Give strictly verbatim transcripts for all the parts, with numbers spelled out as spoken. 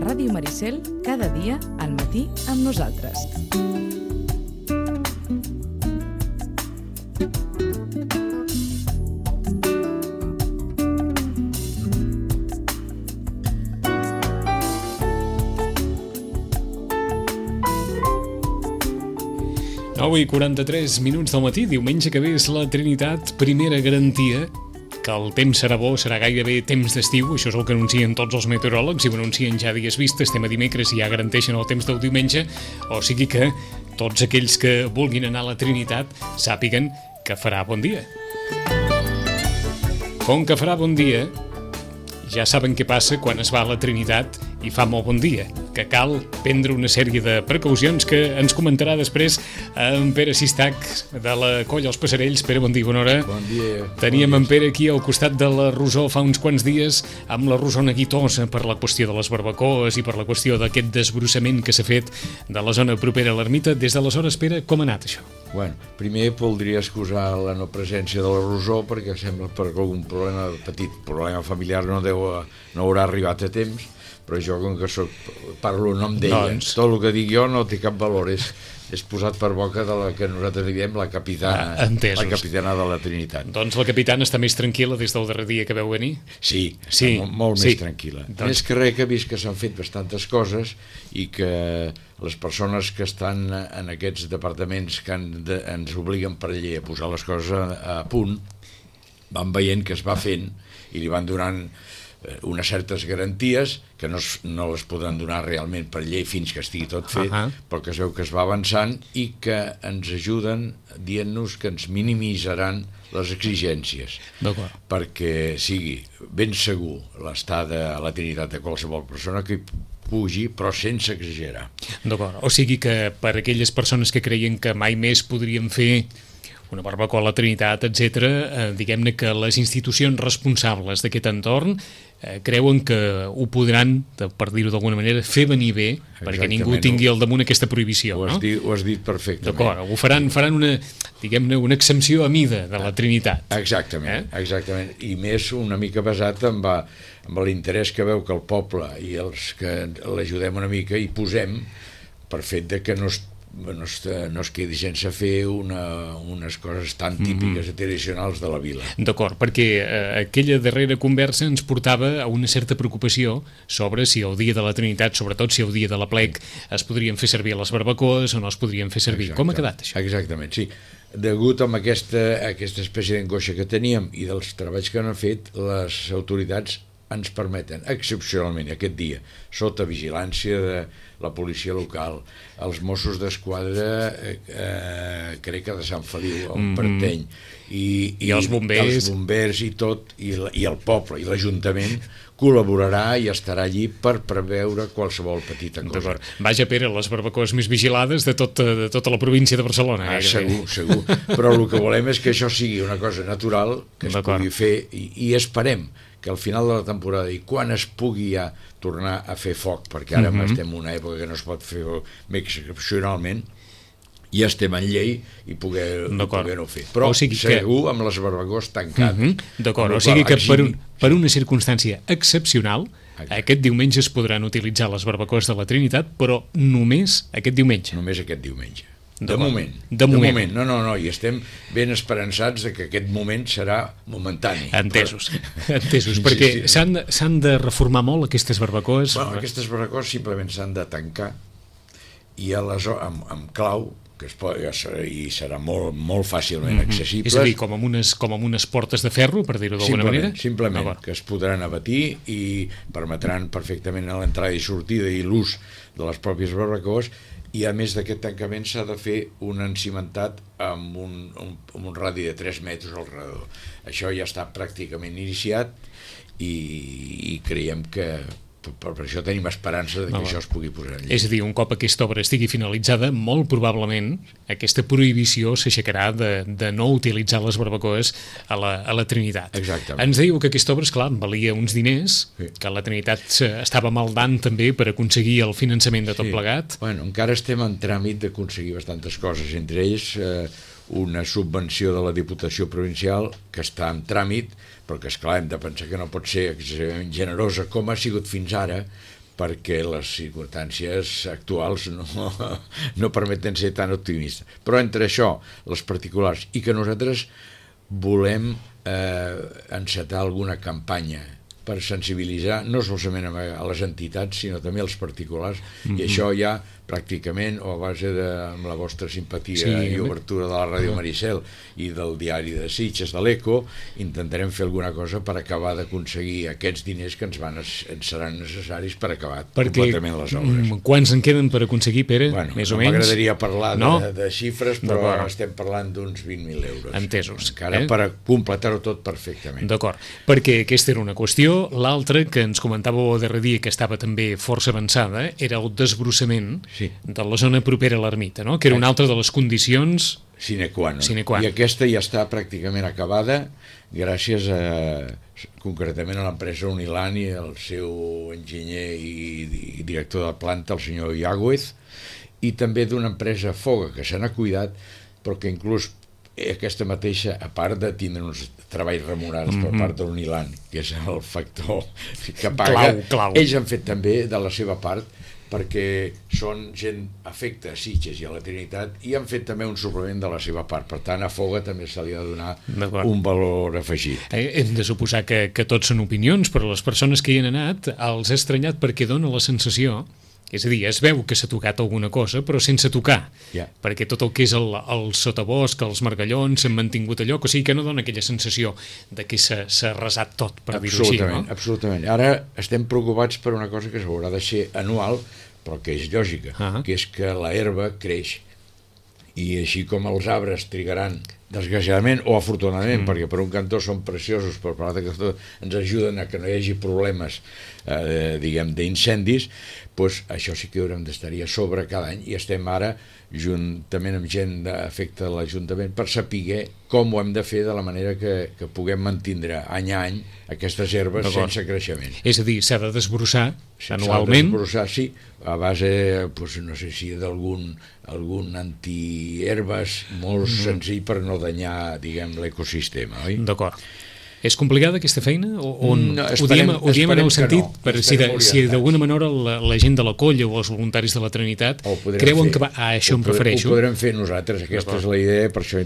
Ràdio Maricel, cada dia al matí amb nosaltres. nou i quaranta-tres minuts del matí, diumenge que ve és la Trinitat, primera garantia que el temps serà bo, serà gairebé temps d'estiu, això és el que anuncien tots els meteoròlegs, i ho anuncien ja dies vist, estem a dimecres i ja garanteixen el temps del diumenge, o sigui que tots aquells que vulguin anar a la Trinitat sàpiguen que farà bon dia. Com que farà bon dia, ja saben què passa quan es va a la Trinitat i fa molt bon dia, que cal prendre una sèrie de precaucions que ens comentarà després en Pere Sistac de la Colla Els Passerells. Pere, bon dia, bona hora. Bon dia. Teníem bon en Pere aquí al costat de la Rosó fa uns quants dies amb la Rosó neguitosa per la qüestió de les barbacoes i per la qüestió d'aquest desbrossament que s'ha fet de la zona propera a l'ermita. Des d'aleshores, Pere, com ha anat això? Bueno, primer voldria excusar la no presència de la Rosó perquè sembla per algun problema, petit problema familiar no, deu, no haurà arribat a temps, però jo com que soc, parlo en nom d'ella, doncs... tot el que dic jo no té cap valor, és, és posat per boca de la que nosaltres diem la capitana, ah, la capitana de la Trinitat. Doncs la capitana està més tranquil·la des del darrer dia que veu venir? Sí, sí molt, molt sí. més tranquil·la. Doncs... Més que res que he vist que s'han fet bastantes coses i que les persones que estan en aquests departaments que han de, ens obliguen per llei a posar les coses a, a punt, van veient que es va fent i li van donant unes certes garanties que no, es, no les podran donar realment per llei fins que estigui tot fet, uh-huh. però que es veu que es va avançant i que ens ajuden dient-nos que ens minimitzaran les exigències perquè sigui ben segur l'estada a la Trinitat de qualsevol persona que pugi, però sense exagerar. D'acord, o sigui que per aquelles persones que creien que mai més podrien fer una barbacoa a la Trinitat, etcètera, eh, diguem-ne que les institucions responsables d'aquest entorn eh, creuen que ho podran, per dir-ho d'alguna manera, fer venir bé, exactament, perquè ningú tingui al damunt aquesta prohibició. Ho has, no? dit, ho has dit perfectament. D'acord, ho faran, faran una, diguem-ne, una exempció a mida de la Trinitat. Exactament, eh? exactament. I més una mica basat en, va, en l'interès que veu que el poble i els que l'ajudem una mica hi posem per fet de que no es No es, no es quedi sense fer una, unes coses tan típiques i tradicionals de la vila. D'acord, perquè eh, aquella darrera conversa ens portava a una certa preocupació sobre si el dia de la Trinitat, sobretot si el dia de la plec, es podrien fer servir les barbacoes o no es podrien fer servir. Exacte. Com ha quedat això? Exactament, sí. Degut a aquesta, aquesta espècie d'angoixa que teníem i dels treballs que han fet, les autoritats ens permeten excepcionalment aquest dia, sota vigilància de la policia local, els Mossos d'Esquadra, eh, eh, crec que de Sant Feliu, on mm-hmm. pertany, i, i, I els bombers, els bombers i tot, i, i el poble i l'Ajuntament col·laborarà i estarà allí per preveure qualsevol petita cosa. Vaja, Pere, les barbacoes més vigilades de, tot, de tota la província de Barcelona. Ah, segur, segur. Però el que volem és que això sigui una cosa natural, que es pugui fer, i, i esperem que al final de la temporada i quan es pugui ja tornar a fer foc, perquè ara mm-hmm. estem en una època que no es pot fer més excepcionalment, ja estem en llei i poder-ho poder fer. Però o sigui segur que... amb les barbacoes tancades. Mm-hmm. D'acord, o sigui que per, un, per una circumstància excepcional, exacte, aquest diumenge es podran utilitzar les barbacoes de la Trinitat, però només aquest diumenge. Només aquest diumenge. De moment. De moment. De moment. No, no, no, i estem ben esperançats de que aquest moment serà momentani. Entesos, però... entesos, perquè sí, sí. S'han, s'han de reformar molt aquestes barbacoes. Bueno, aquestes barbacoes simplement s'han de tancar i aleshores amb, amb clau, que es pot, i serà molt, molt fàcilment mm-hmm. accessibles. És a dir, com amb unes, com amb unes portes de ferro, per dir-ho d'alguna manera? Simplement, que es podran abatir i permetran perfectament l'entrada i sortida i l'ús de les pròpies barbacoes. I a més d'aquest tancament s'ha de fer un encimentat amb un, un, amb un radi de tres metres al redador. Això ja està pràcticament iniciat i, i creiem que per, per això tenim esperança de que no, això es pugui posar en llei. És a dir, un cop aquesta obra estigui finalitzada, molt probablement aquesta prohibició s'aixecarà de, de no utilitzar les barbacoes a la, a la Trinitat. Exactament. Ens diu que aquesta obra, esclar, valia uns diners, sí. que la Trinitat estava maldant també per aconseguir el finançament de tot sí. plegat. Bueno, encara estem en tràmit d'aconseguir bastantes coses, entre ells eh, una subvenció de la Diputació Provincial que està en tràmit, però que, esclar, hem de pensar que no pot ser excessivament generosa com ha sigut fins ara, perquè les circumstàncies actuals no, no permeten ser tan optimistes. Però entre això, les particulars, i que nosaltres volem eh, encetar alguna campanya per sensibilitzar no solament a les entitats, sinó també als particulars, mm-hmm. i això ja pràcticament, o a base de amb la vostra simpatia sí, i obertura de la Ràdio Maricel i del diari de Sitges, de l'Eco, intentarem fer alguna cosa per acabar d'aconseguir aquests diners que ens, van, ens seran necessaris per acabar Perquè, completament les obres. Quants en queden per aconseguir, Pere? Bueno, més no o menys? M'agradaria parlar no? de, de xifres, però estem parlant d'uns vint mil euros. Entesos. Encara eh? per completar-ho tot perfectament. D'acord, perquè aquesta era una qüestió. L'altra, que ens comentàveu el darrer dia, que estava també força avançada, era el desbrossament sí. de la zona propera a l'ermita, no? Que era una altra de les condicions sine qua non. Sine qua. I aquesta ja està pràcticament acabada gràcies a, concretament a l'empresa Unilan i al seu enginyer i, i director de planta, el senyor Iagüez, i també d'una empresa Foga, que se n'ha cuidat, però que inclús aquesta mateixa, a part de tindre uns treballs remunerats mm-hmm. per part de l'Unilan, que és el factor que paga, clau, clau. ells han fet també de la seva part, perquè són gent afecta a Sitges i a la Trinitat i han fet també un suplement de la seva part. Per tant, a Foga també se li ha de donar un valor afegit. Eh, hem de suposar que, que tots són opinions, però les persones que hi han anat els ha estranyat perquè dona la sensació, és a dir, es veu que s'ha tocat alguna cosa, però sense tocar, yeah. perquè tot el que és el, el sotabosc, els margallons, s'han mantingut allò, o sigui que no dona aquella sensació de que s'ha arrasat tot, per dir-ho així, no? Absolutament. Ara estem preocupats per una cosa que s'haurà de ser anual, però que és lògica, uh-huh. que és que la herba creix, i així com els arbres trigaran, desgraciadament o afortunadament, mm. perquè per un cantó són preciosos, però per l'altre cantó ens ajuden a que no hi hagi problemes eh, diguem d'incendis, doncs això sí que haurem d'estar-hi a sobre cada any, i estem ara juntament amb gent d'afecte de l'Ajuntament per saber com ho hem de fer de la manera que, que puguem mantindre any a any aquestes herbes sense creixement. És a dir, s'ha de desbrossar anualment? S'ha de desbrossar, sí, a base, doncs, no sé si d'algun algun antiherbes molt mm. senzill per no danyar, diguem, l'ecosistema, oi? D'acord. És complicada aquesta feina? O, o no, ho diem, ho diem en el sentit, no, per si, de, si d'alguna manera la, la gent de la colla o els voluntaris de la Trinitat creuen fer. que va... Ah, això ho em refereixo. Ho podrem fer nosaltres, aquesta és la idea, per això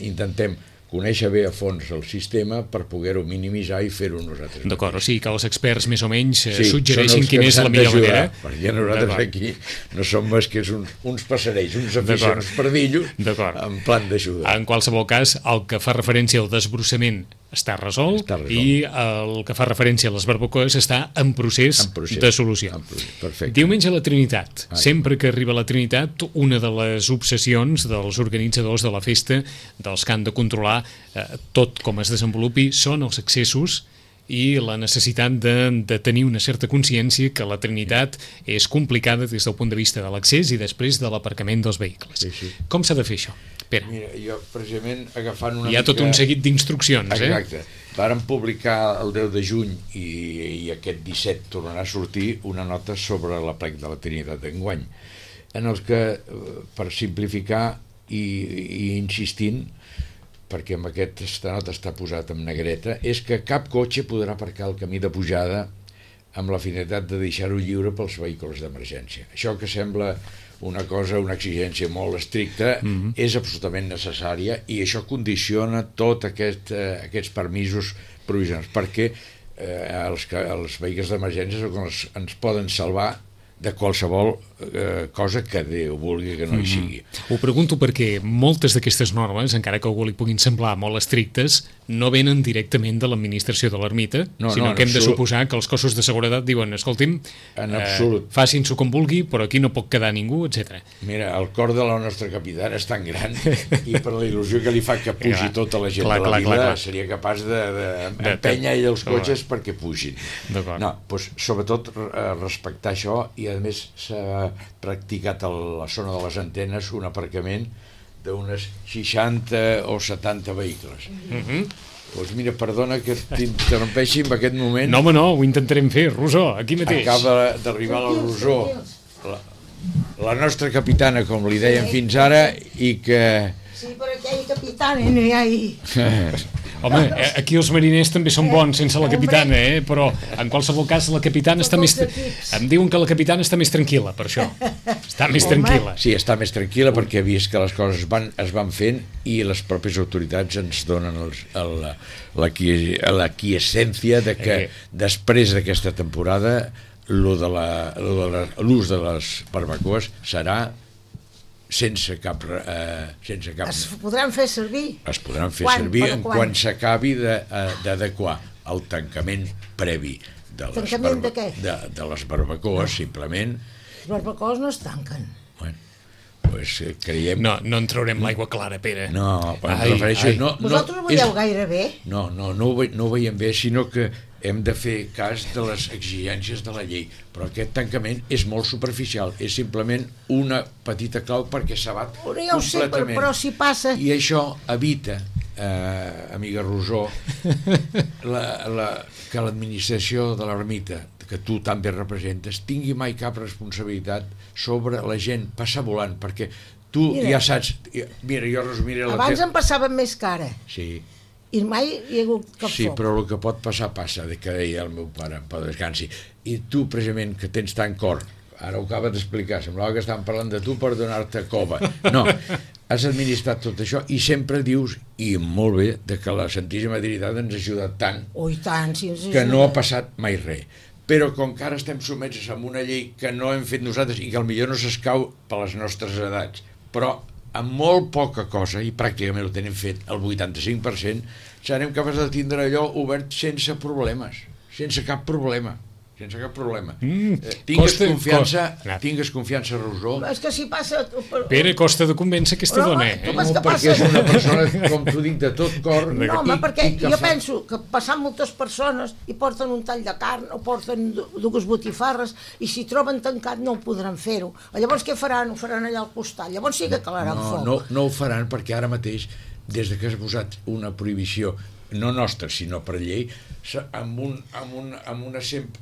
intentem conèixer bé a fons el sistema per poder-ho minimitzar i fer-ho nosaltres. D'acord, o sigui que els experts més o menys sí, suggereixin quina és la millor manera. Perquè nosaltres aquí no som més que uns, uns passerells, uns aficionats perdillos en plan d'ajuda. En qualsevol cas, el que fa referència al desbrossament està resolt, està resolt i el que fa referència a les barbacoes està en procés, en procés de solució. Perfecte. Diumenge a la Trinitat. Ai. Sempre que arriba la Trinitat, una de les obsessions dels organitzadors de la festa, dels que han de controlar eh, tot com es desenvolupi, són els accessos i la necessitat de, de tenir una certa consciència que la Trinitat és complicada des del punt de vista de l'accés i després de l'aparcament dels vehicles. Sí, sí. Com s'ha de fer això? Pere. Mira, jo precisament agafant una Hi ha mica... tot un seguit d'instruccions, eh? Exacte. Vàrem publicar el deu de juny i, i aquest disset tornarà a sortir una nota sobre la plec de la Trinitat d'enguany, en el que, per simplificar i, i insistint, perquè amb aquesta nota està posat en negreta, és que cap cotxe podrà aparcar al camí de pujada amb la finalitat de deixar-ho lliure pels vehicles d'emergència. Això que sembla una cosa, una exigència molt estricta, mm-hmm. és absolutament necessària i això condiciona tot aquest, eh, aquests permisos provisionals, perquè eh, els, els vehicles d'emergència són els ens poden salvar de qualsevol eh, cosa que Déu vulgui que no hi sigui. Mm. Ho pregunto perquè moltes d'aquestes normes, encara que a algú li puguin semblar molt estrictes, no venen directament de l'administració de l'ermita, no, sinó no, que hem de absolut. suposar que els cossos de seguretat diuen, escolti'm, eh, facin-s'ho com vulgui, però aquí no pot quedar ningú, etcètera. Mira, el cor de la nostra capitana és tan gran i per la il·lusió que li fa que pugi clar, tota la gent clar, de la clar, vila, clar, clar. seria capaç d'empènyer ell els cotxes perquè pugin. No, doncs, sobretot eh, respectar això, i a més s'ha practicat a la zona de les antenes un aparcament d'unes seixanta o setanta vehicles. Mm-hmm. Doncs mira, perdona que t'interrompeixi en aquest moment. No, home, no, ho intentarem fer, Rosó, aquí mateix. Acaba d'arribar la Rosó, la, la nostra capitana, com li dèiem fins ara, i que... Sí, però aquell capitana no hi ha ahir. Home, aquí els mariners també són bons sense la capitana, eh? Però en qualsevol cas la capitana està més... Em diuen que la capitana està més tranquil·la, per això. Està més tranquil·la. Sí, està més tranquil·la perquè ha vist que les coses van, es van fent i les pròpies autoritats ens donen els, el, la quiescència de que després d'aquesta temporada l'ús de, la, l'ús de les barbacoes serà sense cap, eh, sense cap... Es podran fer servir? Es podran fer quan, servir en quan, quan s'acabi d'adequar el tancament previ de les, tancament de, què? de, de les barbacoes, no. Simplement. Les barbacoes no es tanquen. Bueno, pues creiem... No, no en traurem l'aigua clara, Pere. No, quan ai, refereixo... Ai. No, Vosaltres no, ho veieu és... gaire bé? No, no, no ho, ve, no ho veiem bé, sinó que hem de fer cas de les exigències de la llei, però aquest tancament és molt superficial, és simplement una petita clau perquè s'abat completament. Ja ho sé, però, però si passa... I això evita, eh, amiga Rosó, la, la, que l'administració de l'ermita, que tu també representes, tingui mai cap responsabilitat sobre la gent passar volant, perquè tu mira, ja saps... Mira, jo resumiré... Abans la te... em passava més cara. Sí. I mai hi ha hagut cap sí, foc. Però el que pot passar, passa, de que deia el meu pare, en pau descansi. I tu, precisament, que tens tant cor, ara ho acaba d'explicar, semblava que estàvem parlant de tu per donar-te cova. No, has administrat tot això i sempre dius, i molt bé, de que la Santíssima Trinitat ens ha ajudat tant, oh, tant si ens que no ha passat mai res. Però com que ara estem sotmesos a una llei que no hem fet nosaltres i que potser no s'escau per les nostres edats, però amb molt poca cosa, i pràcticament ho tenim fet el vuitanta-cinc per cent, serem capaços de tindre allò obert sense problemes, sense cap problema. Sense cap problema. Mm, eh, tingues costa, confiança, costa. tingues confiança, Rosó. És que si passa... Per... Pere, costa de convèncer aquesta no, dona, eh? No, perquè passa... és una persona, com t'ho dic, de tot cor. No, home, i, perquè i jo fa... penso que passant moltes persones i porten un tall de carn o porten dues botifarres i si troben tancat no ho podran fer-ho. Llavors què faran? Ho faran allà al costat. Llavors sí que calaran no, foc. No, no ho faran perquè ara mateix, des de que has posat una prohibició, no nostra, sinó per llei, amb, un, amb, un, amb, una,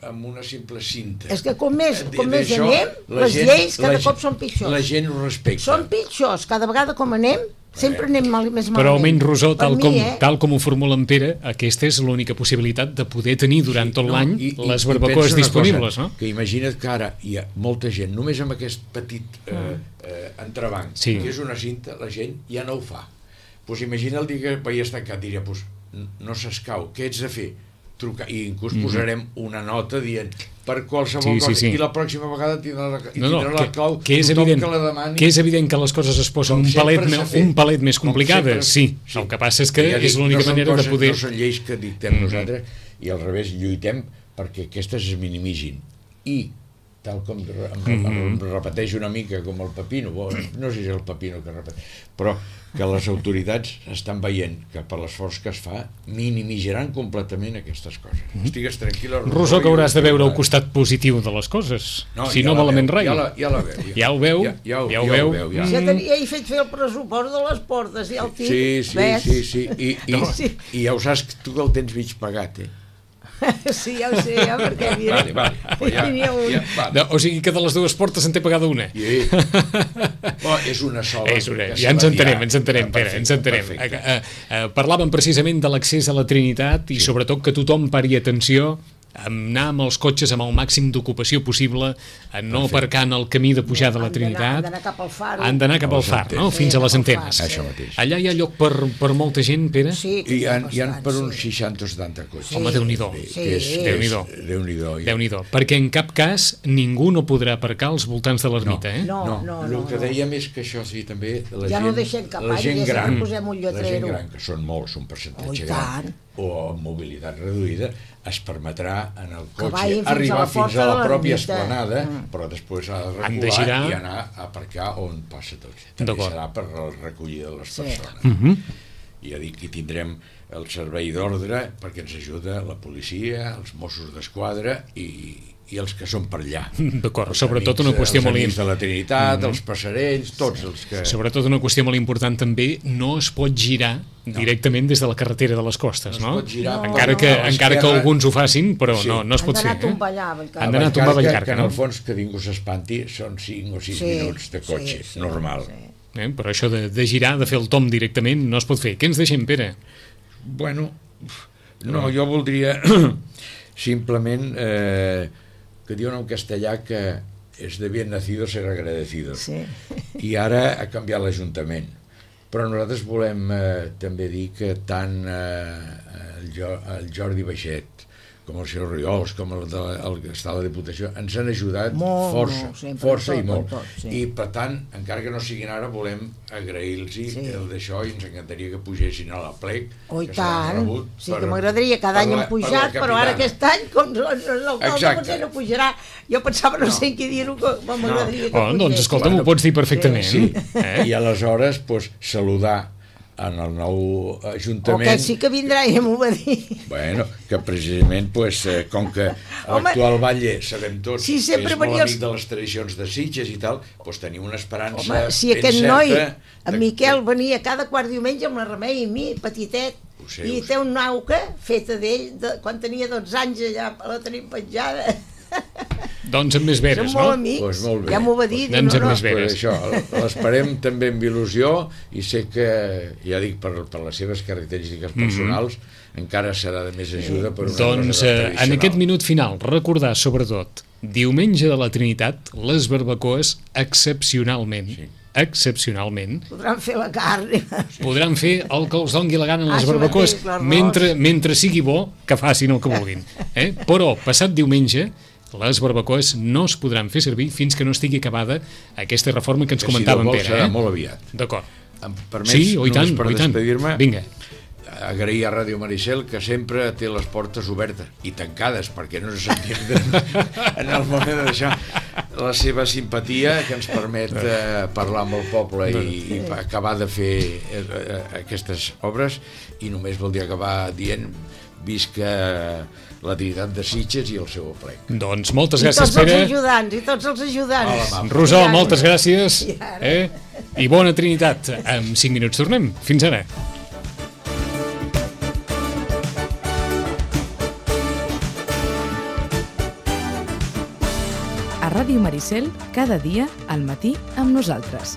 amb una simple cinta. És que com més, com més anem, les gent, lleis cada cop són pitjors. La gent ho respecta. Són pitjors, cada vegada com anem, sempre anem mal, més malament. Però almenys, Rosó, tal, mi, com, eh? tal com ho formula en Pere, aquesta és l'única possibilitat de poder tenir durant tot sí, no, l'any i, les barbacoes disponibles, cosa, no? Que imagina't que ara hi ha molta gent, només amb aquest petit eh, eh, entrebanc, sí. que és una cinta, la gent ja no ho fa. Pues imagina el dia que veies tancat, diria, pues, no s'escau, què ets de fer? Trucar, i inclús mm-hmm. posarem una nota dient per qualsevol sí, cosa, sí, sí. I la pròxima vegada tindrà la, i no, no, tindrà la clau que, que és evident, que la demani. Que és evident que les coses es posen un palet, un palet més complicades, sí. sí. El que passa és que ja dic, és l'única no manera coses, de poder... No són lleis que dictem mm-hmm. nosaltres, i al revés, lluitem perquè aquestes es minimigin. I tal com em, em, em repeteix una mica com el Pepino, bo, no sé si és el Pepino que repeteix, però que les autoritats estan veient que per l'esforç que es fa minimizaran completament aquestes coses. Mm-hmm. Estigues tranquil·la, Rosó. Rosó, que hauràs de veure el costat positiu de les coses, no, si ja no malament rai. Ja la, ja la veu. Ja, ja ho veu? Ja, ja, ja ho ja veu? veu ja. Ja, tenia, ja he fet fer el pressupost de les portes i el tip. Sí, sí, ves? sí, sí. I, i, no. sí. I ja ho saps que tu el tens mig pagat, eh? Sí, ja ho sé, ja, perquè mira, vale, vale. Pues ja, ja, ja, vale. No, o sigui que de les dues portes en té pagada una. Sí. Oh, és una sola. És una. Ja ens entenem, ens entenem, Pere, ens entenem. Uh, uh, uh, parlàvem precisament de l'accés a la Trinitat i sí. sobretot que tothom pari atenció anar amb els cotxes amb el màxim d'ocupació possible, a no aparcar en el camí de pujada a la Trinitat. Han d'anar cap al far. Han d'anar cap al far, no? Fins a les antenes. Això mateix. Allà hi ha lloc per, per molta gent, Pere? Sí, I hi ha, hi ha per uns seixanta o setanta cotxes. Home, Déu-n'hi-do. Que és, Sí. Déu-n'hi-do. Déu-n'hi-do. Déu-n'hi-do. Perquè en cap cas ningú no podrà aparcar als voltants de l'ermita, eh? No, No, no, el no. que no. dèiem és que això sí, també la Ja gent, no deixem cap la any, gent ja gran, sempre posem un la gent lletrero. gran, que són molts, un Oh, percentatge i gran, tant. o amb mobilitat reduïda, es permetrà en el Que cotxe vagin fins a arribar la fins porta a la de pròpia l'ermita. esplanada, Mm. però després ha de Han de recular girar. i anar a aparcar on passa tot. També D'acord. serà per la recollida de les Sí. persones. Mhm. I ja dic que tindrem el servei d'ordre perquè ens ajuda la policia, els Mossos d'Esquadra i, i els que són per allà. D'acord, Els sobretot amics- una qüestió els molt amics de important. la Trinitat, els passerells, tots els que... Sobretot una qüestió molt important també, no es pot girar directament des de la carretera de les costes, No no? es pot girar. Encara No, que, no, a encara que l'esquerra. alguns ho facin, però Sí. no, no es pot Han fer. d'anar a Eh? tombar allà, Vallcarca. Han d'anar a tombar que, Vallcarca, que en no? el fons que ningú s'espanti són cinc o sis Sí, minuts de cotxe, sí, sí, normal. sí. Eh? Però això de, de girar, de fer el tom directament, no es pot fer. Què ens deixem, Pere? Bueno, no, jo voldria simplement eh, que diuen en castellà que és de bien nacido ser agradecido. Sí. I ara ha canviat l'Ajuntament. Però nosaltres volem eh, també dir que tant eh, el, jo, el Jordi Baixet com el senyor Riols, com el, de, el que està a la Diputació, ens han ajudat Molt, força, molt, sempre, força tot, i molt. tot, tot, sí. I per tant, encara que no siguin ara, volem agrair-los Sí. el d'això i ens encantaria que pugessin a la plec. Oh, i que seran tant. rebut Sí, per- que m'agradaria, cada per any la- hem per la pujat, però ara capitana. aquest any, com l'alcalde Exacte. potser no pujarà, jo pensava, no, no. sé en què dir-ho, que m'agradaria que Oh, doncs, pugés. escolta, m'ho pots dir perfectament. Sí, Eh? i aleshores pues, saludar en el nou O Ajuntament. que sí que vindrà, ja m'ho va dir. Bueno, que precisament, pues, eh, com que Home, l'actual batlle sabem tots sí, sempre que és molt venia els- amic de les tradicions de Sitges i tal, pues, tenim una esperança Home, si ben aquest certa noi, de- en Miquel, venia cada quart diumenge amb la Remei i mi, petitet, Ho sé, i ho sé. té una auca feta d'ell, de, quan tenia dotze anys allà la tenim penjada. Doncs amb més veres, Som molt no? amics, Pues molt bé. ja m'ho va dir. Pues anem diu, amb no, més no. bé. Pues això, l'esperem també amb il·lusió i sé que, ja dic, per, per les seves característiques personals, encara serà de més ajuda per una Doncs cosa eh, tan en tradicional. aquest minut final, recordar sobretot, diumenge de la Trinitat, les barbacoes excepcionalment, Sí. excepcionalment, Podran fer la carn. podran fer el que els dongui la gana en Ah, les això barbacoes mateix, l'arròs. mentre, mentre sigui bo, que facin el que vulguin. Eh? Però, passat diumenge, les barbacoes no es podran fer servir fins que no estigui acabada aquesta reforma que ens Que si comentava Déu en vol Pere. serà Eh? molt aviat. D'acord. Em permets, Sí, oh, i tant, només per oh, i tant. despedir-me, Vinga. agrair a Ràdio Maricel que sempre té les portes obertes i tancades perquè no se s'entén en el moment de deixar la seva simpatia que ens permet eh, parlar amb el poble i, i acabar de fer eh, eh, aquestes obres i només voldria acabar dient visca la Trinitat de Sitges i el seu plec. Doncs moltes I gràcies, tots els Pere. ajudants, i tots els ajudants. Hola, mama. Rosal, I ara- moltes gràcies. I ara- Eh? I bona Trinitat. En cinc minuts tornem. Fins ara. A Ràdio Maricel, cada dia al matí amb nosaltres.